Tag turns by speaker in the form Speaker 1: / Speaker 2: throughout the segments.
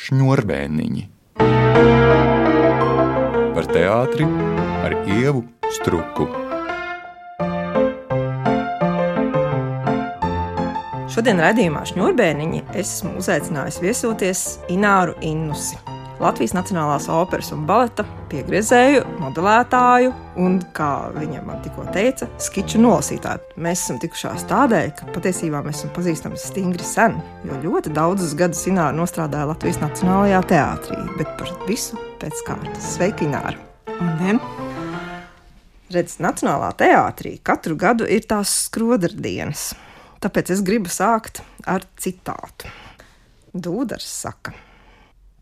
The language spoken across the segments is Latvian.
Speaker 1: Šņurbēniņi. Par teātri ar Ievu Struku.
Speaker 2: Šodien raidījumā Šņurbēniņi esmu uzaicinājusi viesoties Ināru Innusi, Latvijas Nacionālās operas un baleta piegriezēju, modelētāju un, kā viņa man tikko teica, skiču nolasītāju. Mēs esam tikušās tādēļ, ka patiesībā mēs esam pazīstami stingri sen, jo ļoti daudzus gadus Ināra nostrādāja Latvijas Nacionālajā teātrī, bet par visu pēc kārtas. Sveika, Ināra!
Speaker 3: Un
Speaker 2: Redz, Nacionālā teātrī katru gadu ir tās skrodardienas, tāpēc es gribu sākt ar citātu. Dūdars saka: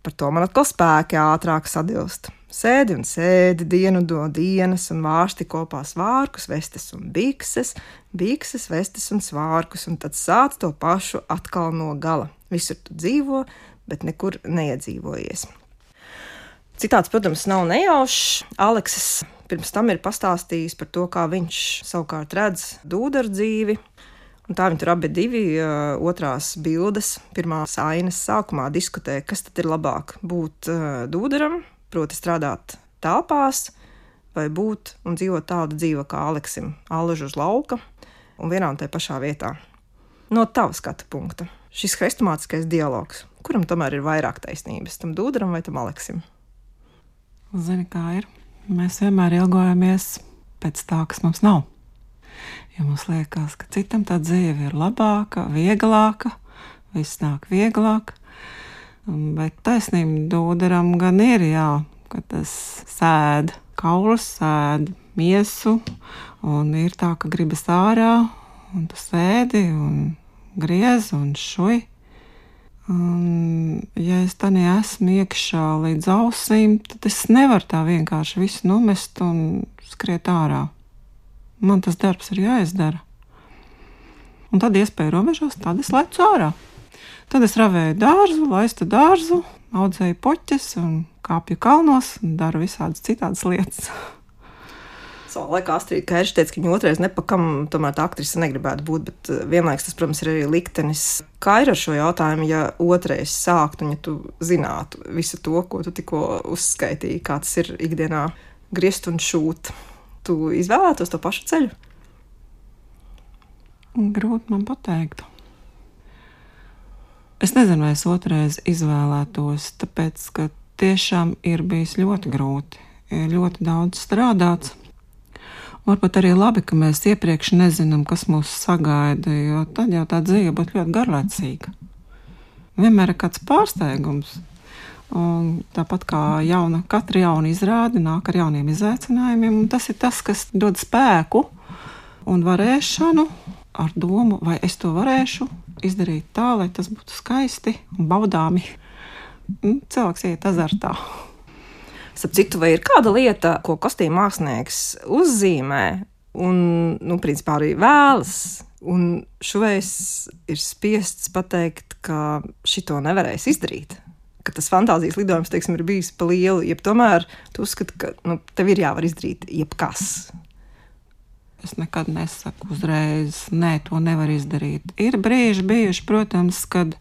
Speaker 2: par to man atkal spēki ātrāk sadilst. Sēdi un sēdi, dienu do dienas un vārsti kopā svārkus, vestes un bikses, bikses, vestes un svārkus, un tad sāc to pašu atkal no gala. Visur tu dzīvo, bet nekur neiedzīvojies. Citāts, protams, nav nejaušs. Aleksis pirms tam ir pastāstījis par to, kā viņš savukārt redz Dūdaru dzīvi. Un tā viņi tur abi divi otrās bildes, pirmās ainas sākumā diskutē, kas tad ir labāk būt Dūdaram, proti strādāt telpās, vai būt un dzīvot tādu dzīvi kā Aleksim, allaž uz lauka un vienā un tajā pašā vietā. No tava skatu punkta, šis hrestomātiskais dialogs, kuram tomēr ir vairāk taisnības, tam Dūdaram vai tam Aleksim?
Speaker 3: Zini, kā ir? Mēs vienmēr ilgojamies pēc tā, kas mums nav. Jo mums liekas, ka citam tā dzīve ir labāka, vieglāka, viss nāk vieglāk. Bet taisnība Dūdaram gan ir, jā, ka tas sēd kaulus, sēd miesu, un ir tā, ka gribas ārā, un tu sēdi, un griez, un šuj. Un, ja es tā neesmu iekšā līdz ausīm, tad es nevaru tā vienkārši visu numest un skriet ārā. Man tas darbs ir jāizdara. Un tad iespēja robežās, tad es lecu ārā. Tad es ravēju dārzu, laistu dārzu, audzēju poķes un kāpju kalnos un daru visādas citādas lietas.
Speaker 2: Savā laikā Astrīda Kērša teica, ka viņa otrais nepakam tomēr tā aktrise negribētu būt, bet vienlaiks tas, protams, ir arī liktenis. Kā ir ar šo jautājumu, ja otrais sākt un ja tu zinātu visu to, ko tu tikko uzskaitīji, kā tas ir ikdienā griezt un šūt? Tu izvēlētos to pašu ceļu?
Speaker 3: Grūti man pateikt. Es nezinu, vai es otrais izvēlētos, tāpēc, ka tiešām ir bijis ļoti grūti. Ir ļoti daudz strādāts. Varbūt arī labi, ka mēs iepriekš nezinām, kas mūs sagaida, jo tad jau tā dzīve būtu ļoti garlaicīga. Vienmēr ir kāds pārsteigums. Un tāpat kā katra jauna izrāde nāk ar jauniem izaicinājumiem, un tas ir tas, kas dod spēku un varēšanu ar domu, vai es to varēšu izdarīt tā, lai tas būtu skaisti un baudāmi. Cilvēks iet azartā.
Speaker 2: Starp citu, vai ir kāda lieta, ko kostīmu mākslinieks uzzīmē un, principā arī vēlas, un šoveiz ir spiests pateikt, ka šito nevarēs izdarīt? Ka tas fantāzijas lidojums, teiksim, ir bijis pa lielu, jeb tomēr tu uzskati, ka tev ir jāvar izdarīt jebkas.
Speaker 3: Es nekad nesaku uzreiz, nē, to nevar izdarīt. Ir brīži bijuši, protams, kad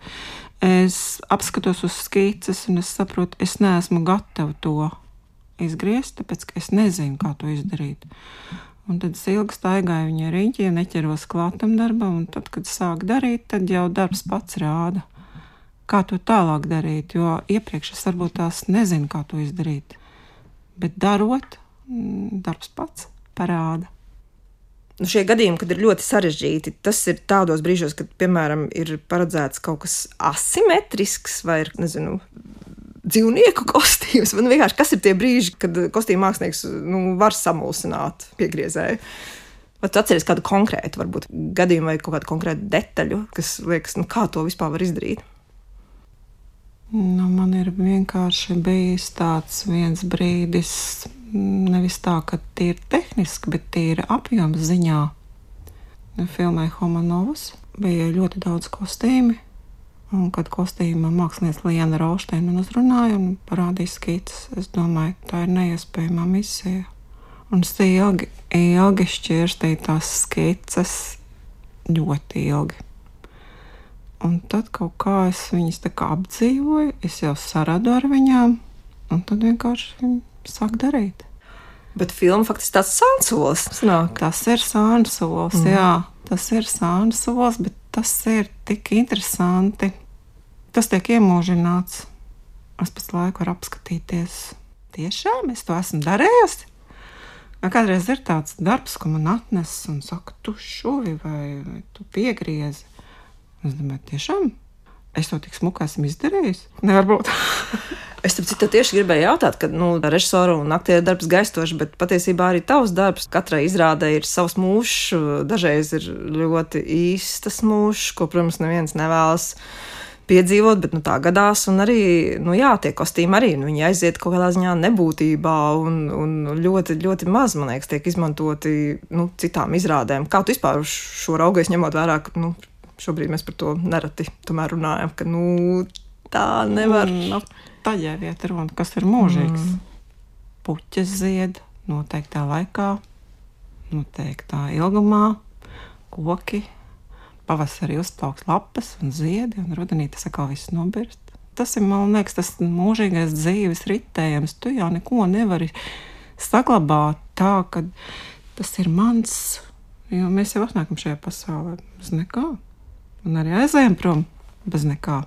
Speaker 3: es apskatos uz skices un es saprotu, es neesmu gatava to izgriezt, tāpēc, ka es nezinu, kā to izdarīt. Un tad es ilgi staigāju viņa riņķi, neķeros klātam darbam, un tad, kad sāk darīt, tad jau darbs pats rāda. Kā to tālāk darīt, jo iepriekš es varbūt tās nezinu, kā to izdarīt. Bet darot, darbs pats parāda.
Speaker 2: Šie gadījumi, kad ir ļoti sarežģīti, tas ir tādos brīžos, kad, piemēram, ir paredzēts kaut kas asimetrisks vai ir, dzīvnieku kostīms. Man vienkārši, kas ir tie brīži, kad kostīmu mākslinieks var samulsināt piegriezēju? Vai tu atceries kādu konkrētu, varbūt, gadījumu vai kaut kādu konkrētu detaļu, kas liekas, kā to vispār var izdarīt?
Speaker 3: Man ir vienkārši bijis tāds viens brīdis, nevis tā, ka tīri tehniski, bet tīri apjoms ziņā. Filmē Homanovas bija ļoti daudz kostīmi, un kad kostīma mākslinieca Liena Raušteina man uzrunāja un parādīja skices, es domāju, tā ir neiespējamā misija. Un es ilgi šķirstīju tās skices, ļoti ilgi. Un tad kaut kā es viņas tā kā apdzīvoju, es jau saradu ar viņām, un tad vienkārši sāk darīt.
Speaker 2: Bet filma faktiski tāds sānsolis sanāk.
Speaker 3: Tas ir sānsolis, jā, tas ir sānsolis, bet tas ir tik interesanti. Tas tiek iemūžināts. Es pēc laiku varu apskatīties. Tiešām es to esmu darējusi. Kādreiz ir tāds darbs, ko man atnes un saka, tu šuvi vai tu piegriezi. Es domāju, tiešām? Es to tik smuki esmu izdarījis? Nevar būt.
Speaker 2: Es tam citu tieši gribēju jautāt, kad režisoru un aktieru darbs gaistoši, bet patiesībā arī tavs darbs. Katrai izrādē ir savs mūžs, dažreiz ir ļoti īstas mūžs, ko, protams, neviens nevēlas piedzīvot, bet tā gadās, un arī, tie kostīmi arī, viņi aiziet kaut kādā ziņā nebūtībā, un ļoti, ļoti maz, man liekas, tiek izmantoti, citām izrādēm. Kā tu vispār šo raugies, ņemot vērā, ka, šobrīd mēs par to nereti tomēr runājam, ka, tā nevar.
Speaker 3: Tā jau iet runa, kas ir mūžīgs. Puķes zied noteiktā laikā, noteiktā ilgumā, koki, pavasarī uzplauks lapas un ziedi, un rudenī tas atkal viss nobirst. Tas ir, man liekas, tas mūžīgais dzīves ritējums. Tu jau neko nevari saglabāt tā, ka tas ir mans, jo mēs jau atnākam šajā pasaulē bez nekā. Un arī aizējam prom bez nekā.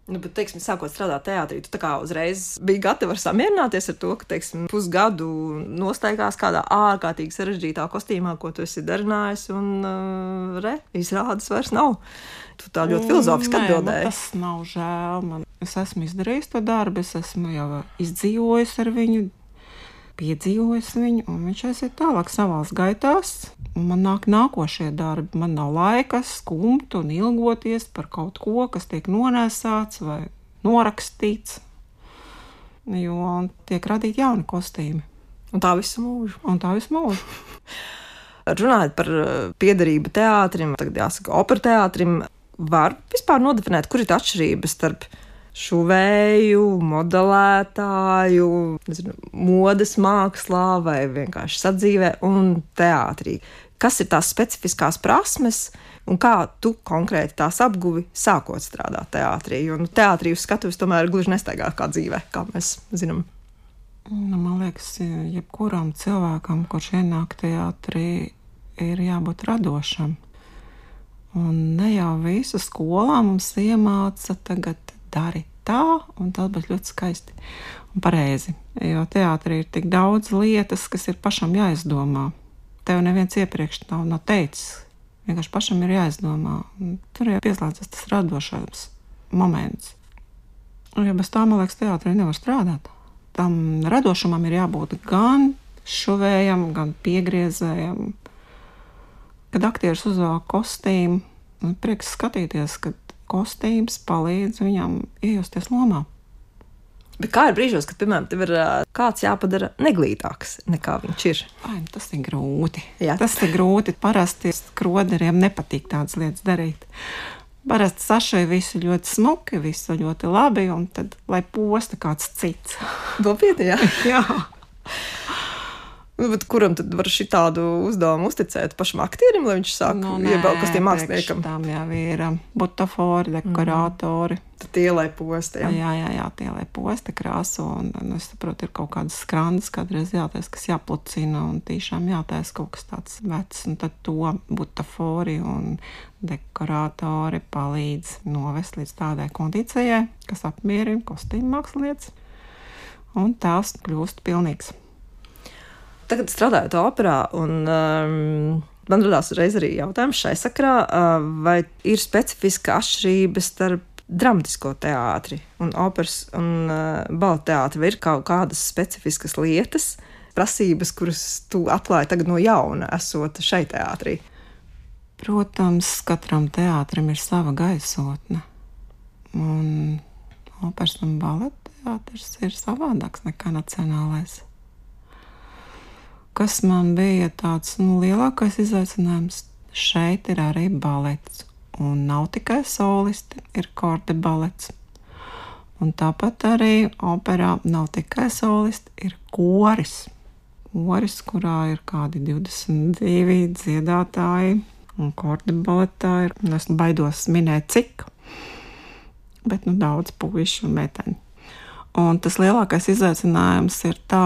Speaker 2: Bet, teiksim, sākot strādāt teātrī, tu tā kā uzreiz biji gatava samierināties ar to, ka, teiksim, pusgadu nostaigās kādā ārkārtīgi sarežģītā kostīmā, ko tu esi darinājis, un izrādes vairs nav. Tu tā ļoti filozofiski atbildēji.
Speaker 3: Tas nav žēl. Es esmu izdarījis to darbu, es esmu jau izdzīvojis ar viņu, piedzīvojis viņu, un viņš aiziet tālāk savās gaitās. Un man nāk nākošie darbi. Man nav laika skumt un ilgoties par kaut ko, kas tiek nonēsāts vai norakstīts, jo tiek radīti jauni kostīmi.
Speaker 2: Un tā visu mūžu. Runājot par piederību teātrim, tagad jāsaka opera teātrim, var vispār nodefinēt, kur ir tā atšķirība starp šuvēju, modelētāju, modes mākslā vai vienkārši sadzīvē un teātrī. Kas ir tās specifiskās prasmes un kā tu konkrēti tās apguvi sākot strādāt teātrī? Jo teātrī uz skatuves tomēr gluži nestaigā kā dzīvē, kā mēs zinām.
Speaker 3: Man liekas, jebkuram cilvēkam, kurš ienāk teātrī, ir jābūt radošam. Un ne jau visu skolā mums iemāca tagad dari tā, un tas būs ļoti skaisti un pareizi. Jo teātrī ir tik daudz lietas, kas ir pašam jāizdomā. Tev neviens iepriekš nav teicis. Vienkārši pašam ir jāizdomā. Un tur jau pieslēdzas tas radošais moments. Un ja bez tā, man liekas, teātrī nevar strādāt. Tam radošumam ir jābūt gan šuvējam, gan piegriezējam. Kad aktieris uzvelk kostīmu, prieks skatīties, kad kostīms palīdz viņam iejusties lomā.
Speaker 2: Bet kā ir brīžos, kad, piemēram, tev ir kāds jāpadara neglītāks nekā viņš ir?
Speaker 3: Tas ir grūti.
Speaker 2: Jā.
Speaker 3: Tas ir grūti. Parasti skroderiem nepatīk tādas lietas darīt. Parasti sašai visu ļoti smuki, visu ļoti labi, un tad, lai posta kāds cits.
Speaker 2: Nopietni, jā?
Speaker 3: Jā.
Speaker 2: Bet kuram tad var šitādu uzdevumu uzticēt? Pašam aktierim, lai viņš sāk iebraukt kostīm māksliniekam?
Speaker 3: Tām jau ir butafori, dekorātori.
Speaker 2: Tad tie, lai posta, jā?
Speaker 3: Jā, tie, lai posta krāsu, un es saprotu, ir kaut kādas skrandas, kādreiz jātais, kas jāplucina, un tiešām jātais kaut kas tāds vecs, un tad to butafori un dekorātori palīdz novest līdz tādai kondīcijai, kas apmierina kostīmu mākslinieces, un tās kļūst pilnīgs.
Speaker 2: Tagad strādājot operā, un man radās uzreiz arī jautājums šai sakrā, vai ir specifiska atšķirība starp dramatisko teātri un operas un baleta teātri, vai ir kaut kādas specifiskas lietas, prasības, kuras tu atklāji tagad no jauna, esot šai teātrī?
Speaker 3: Protams, katram teātrim ir sava gaisotne, un operas un baleta teātris ir savādāks nekā nacionālais. Kas man bija tāds lielākais izaicinājums, šeit ir arī balets. Un nav tikai solisti, ir korde balets. Un tāpat arī operā nav tikai solisti, ir koris. Koris, kurā ir kādi 22 dziedātāji, Un kordi baletā ir, es baidos minēt cik, bet daudz puiši un meiteņi. Un tas lielākais izaicinājums ir tā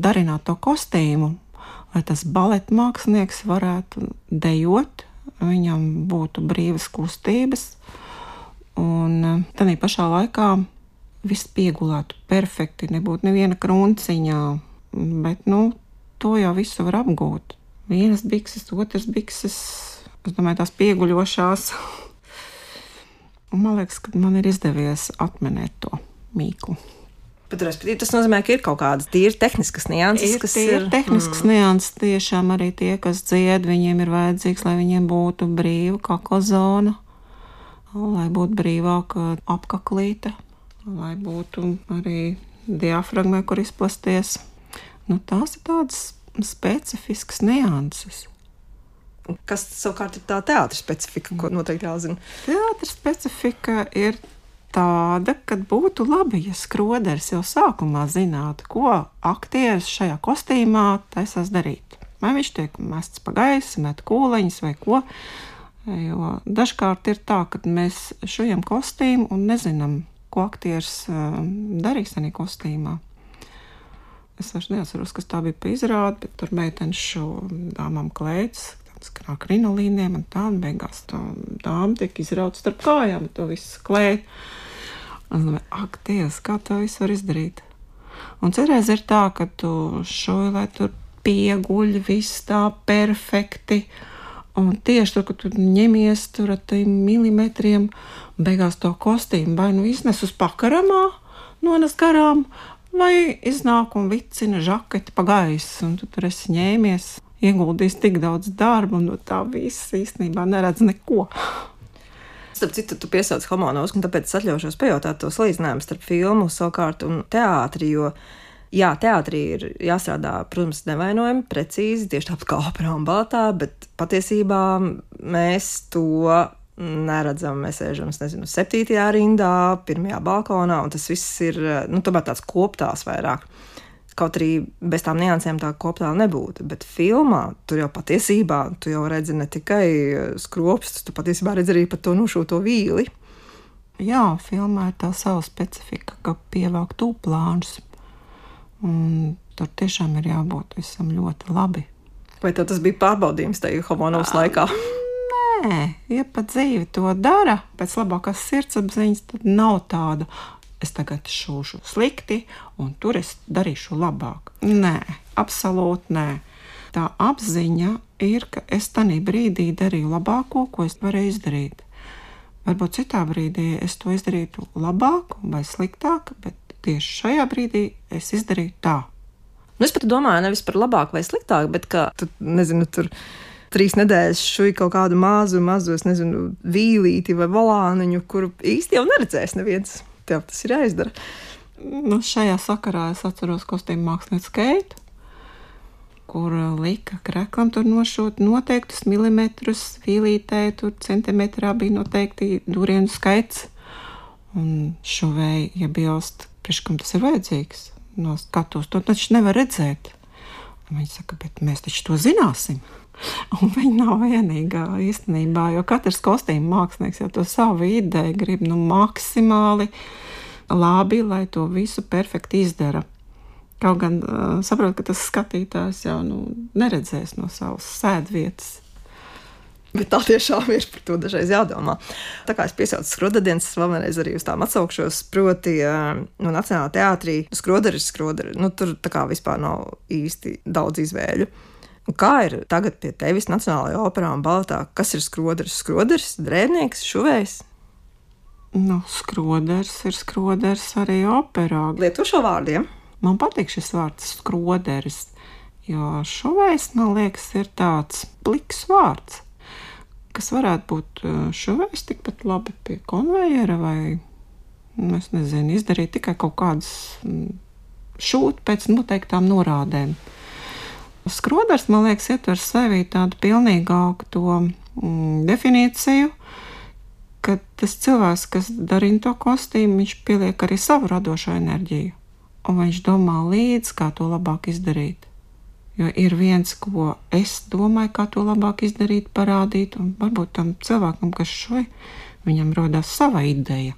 Speaker 3: darināt to kostīmu, lai tas baleta mākslinieks varētu dejot, viņam būtu brīvas kustības, un tādā pašā laikā viss piegulētu perfekti, nebūtu neviena krunciņā, bet, to jau visu var apgūt. Vienas bikses, otras bikses, es domāju, tās pieguļošās. Un man liekas, ka man ir izdevies atminēt to mīklu.
Speaker 2: Bet, respektīvi, tas nozīmē, ka ir kaut kādas tīri tehniskas nianses, kas ir...
Speaker 3: tehniskas nianses, tiešām arī tie, kas dzied, viņiem ir vajadzīgs, lai viņiem būtu brīva kakla zona, lai būtu brīvāka apkaklīte, lai būtu arī diafragmē, kur izplasties. Tās ir tādas specifiskas nianses.
Speaker 2: Kas savukārt ir tā teātra specifika, ko noteikti jāzina?
Speaker 3: Teātra specifika ir tāda, ka būtu labi, ja skroderis jau sākumā zinātu, ko aktieris šajā kostīmā taisās darīt. Vai viņš tiek mests pa gaisu, met kūleņus vai ko. Jo dažkārt ir tā, ka mēs šujam kostīmu un nezinām, ko aktieris darīs tajā kostīmā. Es vairs neatceros, kas tā bija pa izrādi, bet tur meitenes šo dāmām klētas, kā krinolīniem un tā, un beigās tā dāma tiek izrauta starp kājām, to visu klēt. Un es domāju, ak, Dievs, kā to visu var izdarīt? Un cerēs ir tā, ka tu šoji, lai tur pieguļ viss tā perfekti, un tieši tur, ka tu ņemies tur ar tiem milimetriem, un beigās to kostīmu vai iznes uz pakaramā, nones garām, vai iznāk un vicina žaketi pa gaisu, un tu tur esi ņēmies, ieguldījis tik daudz darba, un tā viss īstenībā neredz neko.
Speaker 2: Starp citu, tu piesauc Homonovsku, un tāpēc es atļaušos pajautāt to salīdzinājumu starp filmu savukārt un teātri, jo, jā, teātrī ir jāstrādā, protams, nevainojami, precīzi, tieši tāpat kā operā un baletā, bet patiesībā mēs to neredzam. Mēs sēžam, 7. rindā, 1. balkonā, un tas viss ir, tomēr tāds koptās vairāk. Kaut arī bez tām niansēm tā koptā nebūtu, bet filmā tur jau patiesībā, tu jau redzi ne tikai skropstus, tu patiesībā redzi arī pat to nošūto vīli.
Speaker 3: Jā, filmā ir tā sava specifika, ka pievāk tūplānus, un tur tiešām ir jābūt visam ļoti labi.
Speaker 2: Vai tev tas bija pārbaudījums tajā Homonovas laikā?
Speaker 3: Nē, ja pat dzīve to dara, pēc labākās sirdsapziņas, tad nav tāda, es tagad šūšu slikti, un tur es darīšu labāk. Nē, absolūti nē. Tā apziņa ir, ka es tanī brīdī darīju labāko, ko es varēju izdarīt. Varbūt citā brīdī es to izdarītu labāk vai sliktāk, bet tieši šajā brīdī es izdarīju tā.
Speaker 2: Es pat domāju nevis par labāk vai sliktāk, bet ka, tur 3 nedēļas šuj kaut kādu mazu, vīlīti vai volāniņu, kuru īsti jau neredzēs neviens. Tev tas ir jāizdara.
Speaker 3: Šajā sakarā es atceros kostīmu mākslinieci Keitu, kur lika kreklam tur nošūt noteiktus milimetrus, vīlītē tur centimetrā bija noteikti durienu skaits. Un šuvēji, ja bilst, priekškam tas ir vajadzīgs, no skatos, to taču nevar redzēt. Un viņi saka, bet mēs taču to zināsim. Un viņi nav vienīgā īstenībā, jo katrs kostīmu mākslinieks jau to savu ideju grib maksimāli labi, lai to visu perfekti izdara. Kaut gan saprot, ka tas skatītājs jau neredzēs no savas sēdvietas.
Speaker 2: Bet tā tiešām ir, par to dažreiz jādomā. Tā kā es piesaucu skroderdienas, es vēlreiz arī uz tām atsaukšos, proti Nacionālā teātrī skroderis, tur tā kā vispār nav īsti daudz izvēļu. Un kā ir tagad pie tevis Nacionālajā operā un baletā? Kas ir skroderis? Skroderis, drēbnieks, šuvējs?
Speaker 3: Skroderis ir skroderis arī operā.
Speaker 2: Lieto šo vārdiem?
Speaker 3: Man patīk šis vārds skroderis, jo šuvējs, man liekas, ir tāds pliks vārds, kas varētu būt šuvējs tikpat labi pie konvejera vai, izdarīt tikai kaut kādas šūt pēc noteiktām norādēm. Skroderis, man liekas, ietver sevī tādu pilnīgāku to definīciju, ka tas cilvēks, kas darina to kostīmu, viņš pieliek arī savu radošo enerģiju, un viņš domā līdz, kā to labāk izdarīt. Jo ir viens, ko es domāju, kā to labāk izdarīt, parādīt, un varbūt tam cilvēkam, kas viņam rodās sava ideja.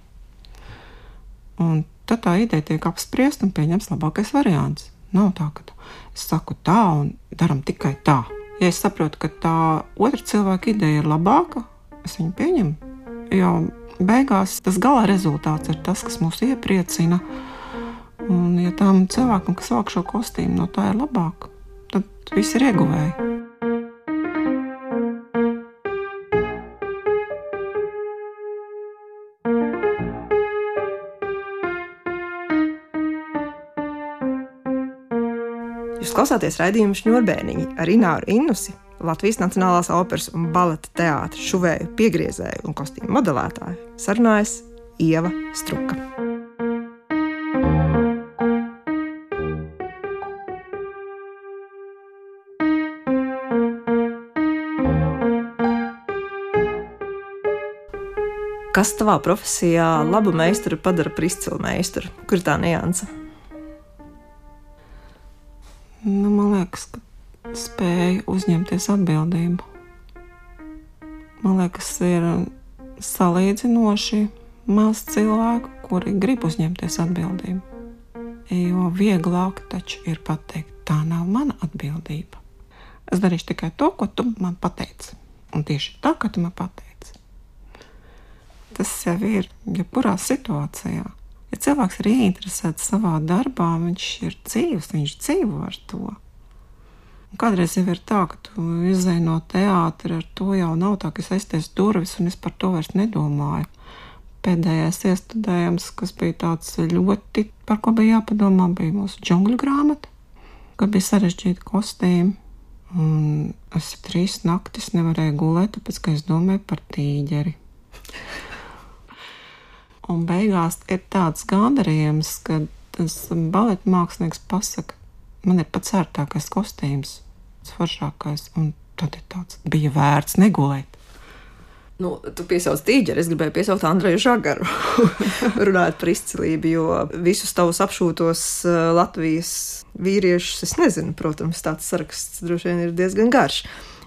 Speaker 3: Un tad tā ideja tiek apspriest un pieņems labākais variants. Nav tā, ka es saku tā un daram tikai tā. Ja es saprotu, ka tā otra cilvēka ideja ir labāka, es viņu pieņemu. Jo beigās tas gala rezultāts ir tas, kas mūs iepriecina. Un ja tam cilvēkam, kas vāk šo kostīmu, no tā ir labāk, tad viss ir ieguvēji.
Speaker 2: Jūs klausāties raidījumu Šņurbēniņi ar Ināru Innusi, Latvijas Nacionālās operas un baleta teātra šuvēju, piegriezēju un kostīmu modelētāju. Sarunājas Ieva Struka. Kas tavā profesijā labu meistaru padara par izcilu meistaru? Kur ir tā nianse?
Speaker 3: Man liekas, ka spēja uzņemties atbildību. Man liekas, ir salīdzinoši maz cilvēku, kuri grib uzņemties atbildību. Jo vieglāk taču ir pateikt, tā nav mana atbildība. Es darīšu tikai to, ko tu man pateici. Un tieši tā, kā tu man pateici. Tas jau ir jebkurā situācijā. Ja cilvēks ir ieinteresēts savā darbā, viņš ir dzīves, viņš dzīvo ar to. Un kādreiz jau ir tā, ka tu izej no teātra, ar to jau nav tā, ka es aizties durvis un es par to vairs nedomāju. Pēdējais iestudējums, kas bija tāds ļoti, par ko bija jāpadomā, bija mūsu džungļu grāmata, ka bija sarežģīti kostīmi. Un es 3 naktis nevarēju gulēt, tāpēc, ka es domāju par tīģeri. Un beigās ir tāds gandarījums, ka tas baleta mākslinieks pasaka, man ir pats ērtākais kostīms, foršākais, un tad ir tāds, bija vērts negulēt.
Speaker 2: Tu piesauc tīģeri, es gribēju piesaukt Andreju Žagaru, runājot par izcilību, jo visus tavus apšūtos Latvijas vīriešus, es nezinu, protams, tāds saraksts droši vien ir diezgan garš.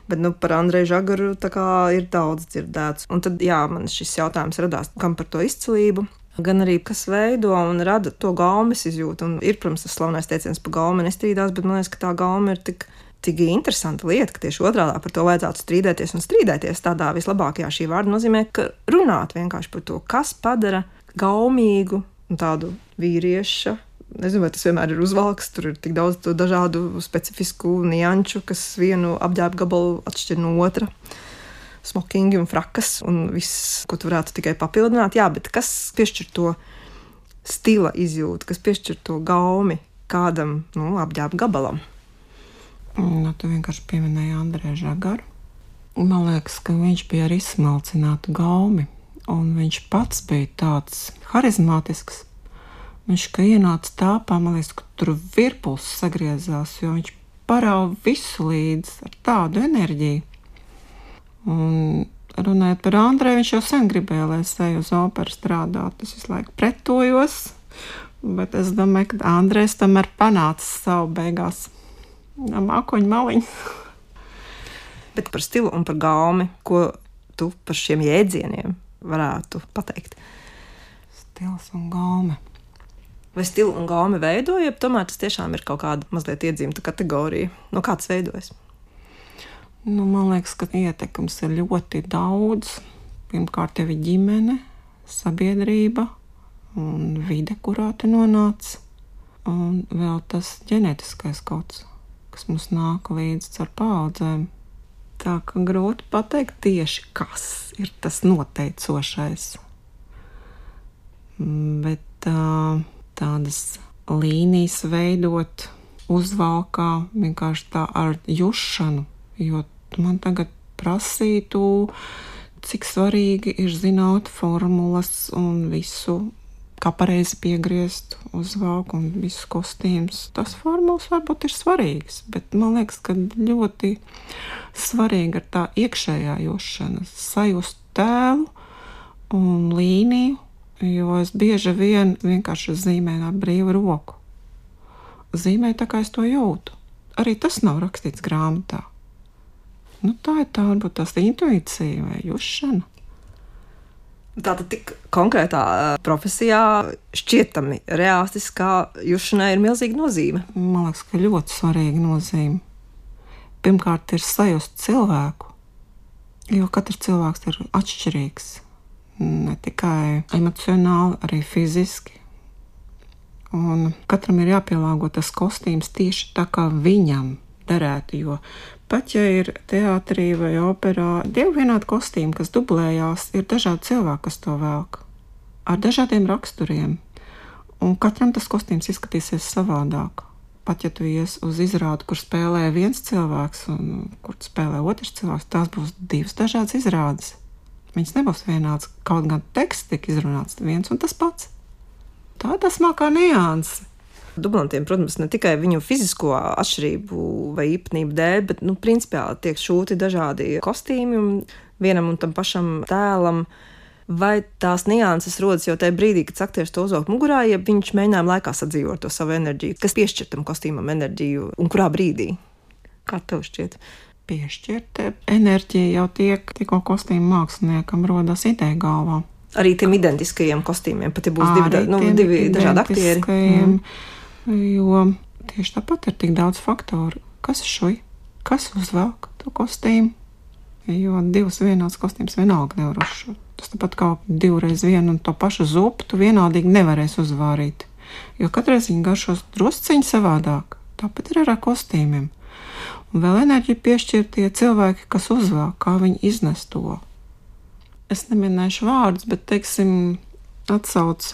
Speaker 2: Bet par Andreju Žagaru tā kā ir daudz dzirdēts. Un tad, man šis jautājums radās, kam par to izcilību, gan arī kas veido un rada to gaumes izjūtu. Un ir, protams, tas slavnais teiciens par gaumi nestrīdās, bet man liekas, ka tā gauma ir tik interesanta lieta, ka tieši otrādā par to vajadzētu strīdēties un strīdēties. Tādā vislabākajā šī vārda nozīmē, ka runāt vienkārši par to, kas padara gaumīgu un tādu vīrieša. Nezinu, vai tas vienmēr ir uzvalks, tur ir tik daudz dažādu specifisku nianču, kas vienu apģērba gabalu atšķir no otra. Smokingi un frakas un viss, ko tu varētu tikai papildināt. Jā, bet kas piešķir to stila izjūtu, kas piešķir to gaumi kādam apģērba gabalam?
Speaker 3: Tu vienkārši pieminēji Andreju Žagaru. Man liekas, ka viņš bija ar izsmalcinātu gaumi, un viņš pats bija tāds harizmātisks. Viņš, ka ienāca tāpā, man liekas, ka tur virpuls sagriezās, jo viņš parāva visu līdz ar tādu enerģiju. Un runājot par Andreju, viņš jau sen gribēja, lai es eju uz operu strādāt. Es visu laiku pretojos, bet es domāju, ka Andrejs tomēr panāca savu beigās mākoņu maliņu.
Speaker 2: Bet par stilu un par gaumi, ko tu par šiem jēdzieniem varētu pateikt?
Speaker 3: Stils un gaumi.
Speaker 2: Vai stilu un gaumi veido, ja tomēr tas tiešām ir kaut kāda mazliet iedzīmta kategorija? No kā tas veidojas?
Speaker 3: Man liekas, ka ietekmes ir ļoti daudz. Pirmkārt jau ir ģimene, sabiedrība un vide, kurā tu nonāc. Un vēl tas ģenētiskais kods, kas mums nāk līdz ar paaudzēm. Tā ka grūti pateikt tieši, kas ir tas noteicošais. Bet tādas līnijas veidot uzvalkā vienkārši tā ar jušanu, jo man tagad prasītu, cik svarīgi ir zināt formulas un visu, kā pareizi piegriezt uzvalku un visus kostīmus. Tas formulas varbūt ir svarīgs, bet man liekas, ka ļoti svarīga ir tā iekšējā jušana, sajust tēlu un līniju, jo es bieži vien vienkārši zīmēju ar brīvu roku. Zīmēju tā, kā es to jūtu. arī tas nav rakstīts grāmatā. Nu, tā ir varbūt tās intuīcija vai jušana.
Speaker 2: Tātad tik konkrētā profesijā šķietami realistiskā jušanai ir milzīga nozīme.
Speaker 3: Man liekas, ka ļoti svarīga nozīme. Pirmkārt ir sajust cilvēku, jo katrs cilvēks ir atšķirīgs. Ne tikai emocionāli, arī fiziski. Un katram ir jāpielāgo tas kostīms tieši tā, kā viņam derētu, jo pat ja ir teātrī vai operā divi vienādi kostīmi, kas dublējās, ir dažādi cilvēki, kas to velk, ar dažādiem raksturiem, un katram tas kostīms izskatīsies savādāk. Pat ja tu ies uz izrādi, kur spēlē viens cilvēks un kur spēlē otrs cilvēks, tās būs divas dažādas izrādes. Viņas nebūs vienāds, kaut gan teksts tiek izrunāts viens un tas pats. Tā ir tā smalkā nianse.
Speaker 2: Dublantiem, protams, ne tikai viņu fizisko atšķirību vai īpatnību dēļ, bet, principiāli tiek šūti dažādi kostīmi vienam un tam pašam tēlam. Vai tās nianses rodas jau tajā brīdī, kad aktieris to uzvelk mugurā, ja viņš mēģinājuma laikā sadzīvot to savu enerģiju, kas piešķir tam kostīmam enerģiju un kurā brīdī? Kā tev šķiet?
Speaker 3: Piešķirta enerģija jau tiek, tikko kostīmu māksliniekam rodas ideja galvā.
Speaker 2: Arī tiem identiskajiem kostīmiem, pat ja būs divi dažādi aktieri.
Speaker 3: Jo tieši tāpat ir tik daudz faktoru. Kas ir šui? Kas uzvelk to kostīmu? Jo divas vienāds kostīms vienalga nevar uzšūt. Tas tāpat kā divreiz vienu un to pašu zupu tu vienādīgi nevarēs uzvārīt. Jo katreiz viņi garšos drusciņi savādāk. Tāpat ir ar kostīmiem. Un vēl enerģiju piešķir tie cilvēki, kas uzvelk, kā viņi iznes to. Es neminēšu vārdus, bet, teiksim, atsauc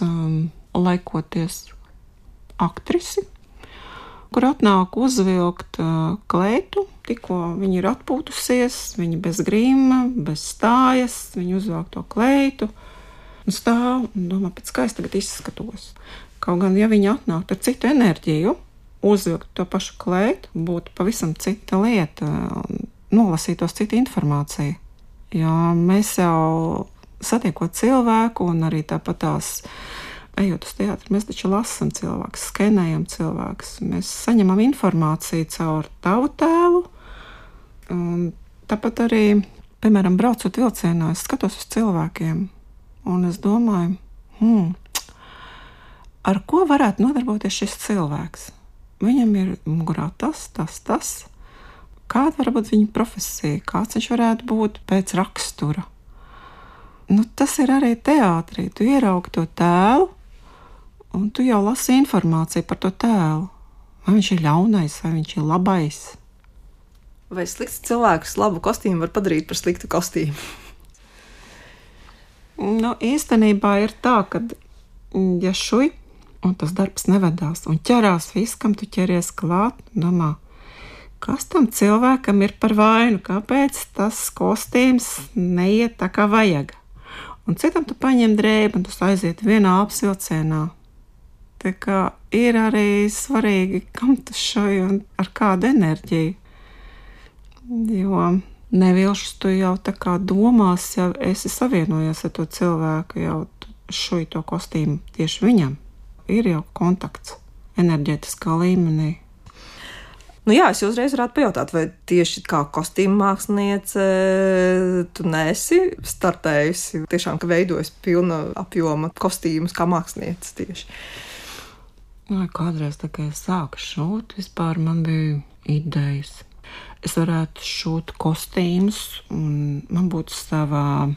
Speaker 3: laikoties aktrisi, kur atnāk uzvilkt kleitu, tikko viņa ir atpūtusies, viņa bez grīma, bez stājas, viņa uzvelk to kleitu un stāv un domā, pēc kā es tagad izskatos. Kaut gan, ja viņa atnāk ar citu enerģiju, uzvilkt to pašu kleitu, būtu pavisam cita lieta, nolasītos cita informācija. Jo mēs jau satiekot cilvēku un arī tāpat tās ejot uz teātri, mēs taču lasam cilvēkus, skenējam cilvēkus. Mēs saņemam informāciju caur tavu tēlu. Un tāpat arī, piemēram, braucot vilcienā, es skatos uz cilvēkiem. Un es domāju, ar ko varētu nodarboties šis cilvēks? Viņam ir mugurā tas. Kāda var būt viņa profesija? Kāds viņš varētu būt pēc rakstura? Tas ir arī teātrī. Tu ieraugi to tēlu, un tu jau lasi informāciju par to tēlu. Vai viņš ir ļaunais, vai viņš ir labais?
Speaker 2: Vai slikts cilvēks labu kostīmu var padarīt par sliktu kostīmu?
Speaker 3: Īstenībā ir tā, ka ja šui, un tas darbs nevedās, un ķerās viss, kam tu ķeries klāt, domā, kas tam cilvēkam ir par vainu, kāpēc tas kostīms neiet tā kā vajag. Un citam tu paņem drēbi, un tu aiziet vienā apsilcienā. Tā kā ir arī svarīgi, kam tu šoji un ar kādu enerģiju. Jo nevilšus tu jau tā kā domās, ja esi savienojies ar to cilvēku, jau šoji to kostīmu tieši viņam. Ir jau kontakts enerģētiskā līmenī.
Speaker 2: Jā, es uzreiz varētu pajautāt, vai tieši kā kostīma māksliniece tu neesi startējusi, tiešām, ka veidojas pilna apjoma kostīmus kā mākslinieces tieši?
Speaker 3: Kādreiz, tā kā es sāku šūt, vispār man bija idejas. Es varētu šūt kostīmus, un man būtu savā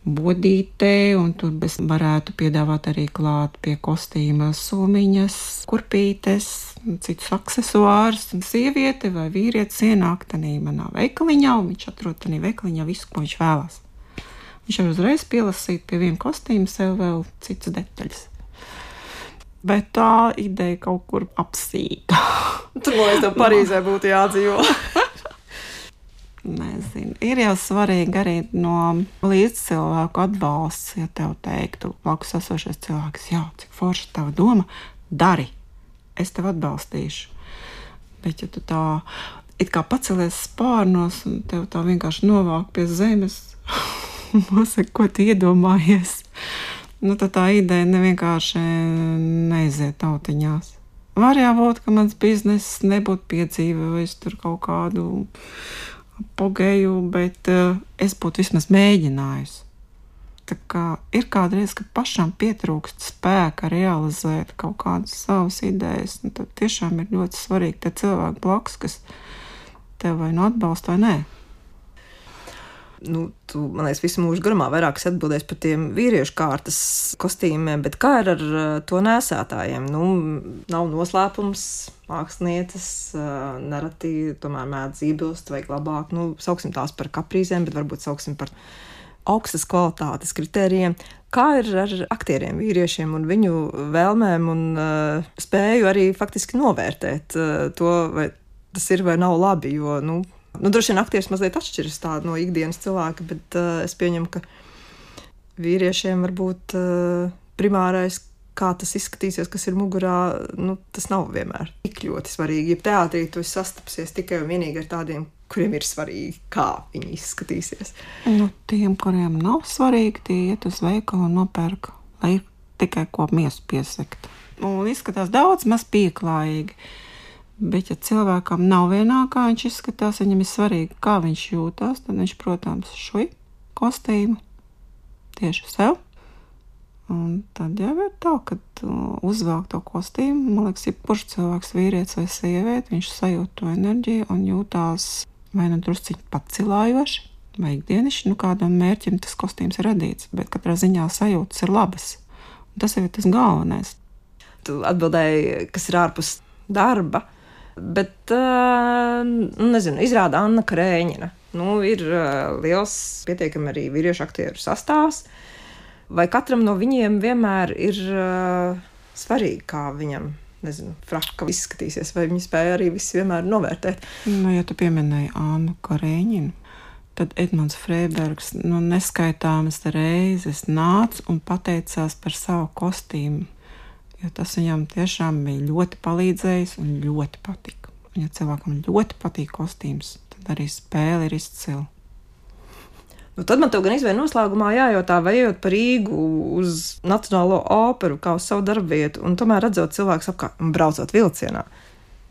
Speaker 3: bodītē, un tur es varētu piedāvāt arī klāt pie kostīma sumiņas, kurpītes, citus aksesuārus, un sieviete vai vīrietis ienāk tanī manā veikaliņā, un viņš atrod tanī veikaliņā visu, ko viņš vēlās. Viņš var uzreiz pielasīt pie viena kostīma sev vēl citas detaļas. Bet tā ideja kaut kur apsīta.
Speaker 2: Tur, man liekas, tev Parīzē būtu jādzīvo.
Speaker 3: Nezinu. Ir jau svarīgi arī no līdzcilvēku atbalsts, ja tev teiktu, blakus esošais cilvēks, jā, cik forša tava doma, dari, es tev atbalstīšu. Bet ja tu tā, it kā pacelies spārnos un tev tā vienkārši novāk pie zemes, nosaka, ko tu iedomājies, tad tā ideja nevienkārši neiziet tautiņās. Var jābūt, ka mans bizness nebūtu piedzīvojis tur kaut kādu apogēju, bet es būtu vismaz mēģinājusi. Tā kā ir kādreiz, ka pašam pietrūkst spēka realizēt kaut kādas savas idejas, un tad tiešām ir ļoti svarīgi te cilvēki blakus, kas tev vai nu atbalsta vai nē.
Speaker 2: Tu, man liekas, visu mūžu garumā vairāk atbildēs par tiem vīriešu kārtas kostīmiem, bet kā ir ar to nēsātājiem? Nav noslēpums, mākslinieces, nereti tomēr mēdz iebilst vai glabāt, sauksim tās par kaprīzēm, bet varbūt sauksim par augstas kvalitātes kritērijiem. Kā ir ar aktieriem, vīriešiem un viņu vēlmēm un spēju arī faktiski novērtēt to, vai tas ir vai nav labi, jo, droši vien aktieris mazliet atšķiras no ikdienas cilvēka, bet es pieņemu, ka vīriešiem varbūt primārais, kā tas izskatīsies, kas ir mugurā, tas nav vienmēr tik ļoti svarīgi. Ja teātrī tu esi sastapsies tikai un vienīgi ar tādiem, kuriem ir svarīgi, kā viņi izskatīsies.
Speaker 3: Tiem, kuriem nav svarīgi, tie iet uz veikalu un nopērk, lai ir tikai ko miesu piesekt. Un izskatās daudz maz pieklājīgi. Bet, ja cilvēkam nav vienā, kā viņš izskatās, viņam ir svarīgi, kā viņš jūtās, tad viņš, protams, šui kostīmu tieši sev. Un tad jau ir tā, kad uzvelk to kostīmu, man liekas, ja kurš cilvēks, vīrietis vai sieviete, viņš sajūt to enerģiju un jūtās vai drusciņi pacilājoši, vai ikdienišķi, kādam mērķim tas kostīms ir radīts, bet katrā ziņā sajūtas ir labas. Un tas jau ir tas galvenais.
Speaker 2: Tu atbildēji, kas ir ārpus darba, bet, izrāda Anna Krēņina. Ir liels, pietiekami arī vīriešu aktieru sastāvs. Vai katram no viņiem vienmēr ir svarīgi, kā viņam, fraka izskatīsies, vai viņi spēja arī visi vienmēr novērtēt?
Speaker 3: Ja tu pieminēji Annu Krēņinu, tad Edmunds Freibergs neskaitāmas reizes nāca un pateicās par savu kostīmu. Jo tas viņam tiešām bija ļoti palīdzējis un ļoti patika. Un ja cilvēkam ļoti patīk kostīms, tad arī spēle ir izcila.
Speaker 2: Tad man tev gan izvēle noslēgumā jājautā, vai ejot par Rīgu uz Nacionālo operu kā uz savu darbvietu, un tomēr redzot cilvēkus apkārt un braucot vilcienā.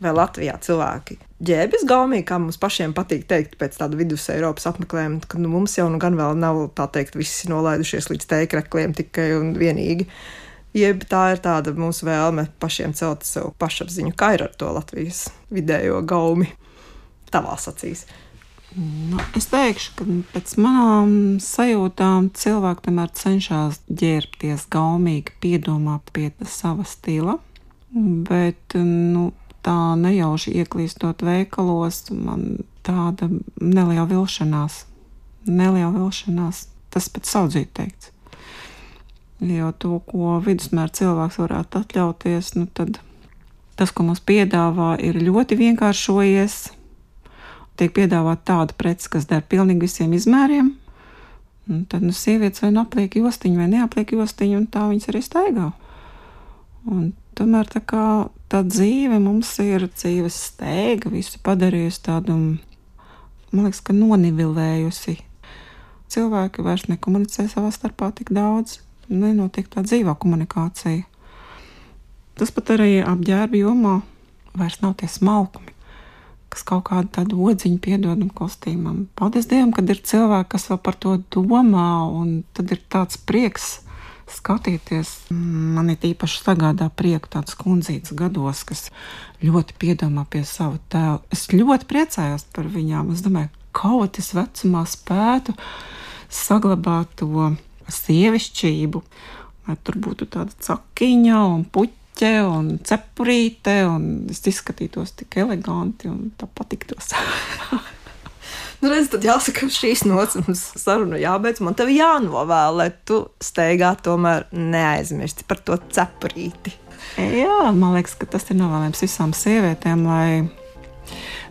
Speaker 2: Vai Latvijā cilvēki ģēbjas gaumīgi, kā mums pašiem patīk teikt pēc tāda vidus Eiropas apmeklējuma, kad mums jau gan vēl nav, tā teikt, visi nolaidušies līdz teikrekliem tikai un vienīgi. Jeb tā ir tāda mūsu vēlme pašiem celt sev pašapziņu, kā ir ar to Latvijas vidējo gaumi tavās acīs?
Speaker 3: Es teikšu, ka pēc manām sajūtām cilvēki tomēr cenšas ģērbties gaumīgi, piedomā pie sava stila, bet tā nejauši ieklīstot veikalos, man tāda neliela vilšanās. Tas pat saudzīt teikts. Jo to, ko vidusmēra cilvēks varētu atļauties, tad tas, ko mums piedāvā, ir ļoti vienkāršojies. Tiek piedāvāt tāda prece, kas der pilnīgi visiem izmēriem. Un tad sievietes vai apliek jostiņu vai neapliek jostiņu, un tā viņas arī staigā. Un tomēr tā dzīve mums ir dzīves steiga, visu padarījusi tādu, man liekas, ka nonivilējusi. Cilvēki vairs nekomunicē savā starpā tik daudz. Nenotiek tā dzīvā komunikācija. Tas pat arī apģērba jomā vairs nav tie smalkumi, kas kaut kādu tādu odziņu piedodam kostīmam. Paldies Dievam, kad ir cilvēki, kas vēl par to domā, un tad ir tāds prieks skatīties. Man ir īpaši sagādā prieku tāds kundzītes gados, kas ļoti piedomā pie savu tēlu. Es ļoti priecājos par viņām. Es domāju, kaut es vecumā spētu saglabāt to sievišķību, lai tur būtu tāda cakiņa un puķe un cepurīte, un es izskatītos tik eleganti un tā patiktos.
Speaker 2: Redz, tad jāsaka, šīs nots mums sarunu jābeidz, man tev jānovēl, lai tu steigā tomēr neaizmirsti par to cepurīti.
Speaker 3: Jā, man liekas, ka tas ir novēlējums visām sievietēm, lai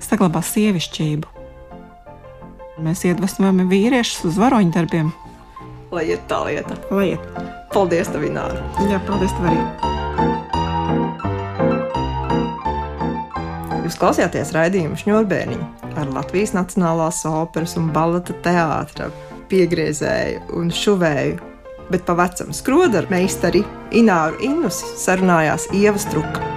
Speaker 3: saglabā sievišķību. Mēs iedvesmojam vīriešus uz varoņu darbiem.
Speaker 2: Lai iet tā lieta.
Speaker 3: Lai iet.
Speaker 2: Paldies tev, Ināra.
Speaker 3: Jā, paldies tev arī.
Speaker 2: Jūs klausījāties raidījumu Šņurbēniņu ar Latvijas Nacionālās operas un baleta teātra piegriezēju un šuvēju, bet pa vecam skrodaru meistari Ināru Innusi sarunājās Ieva Struka.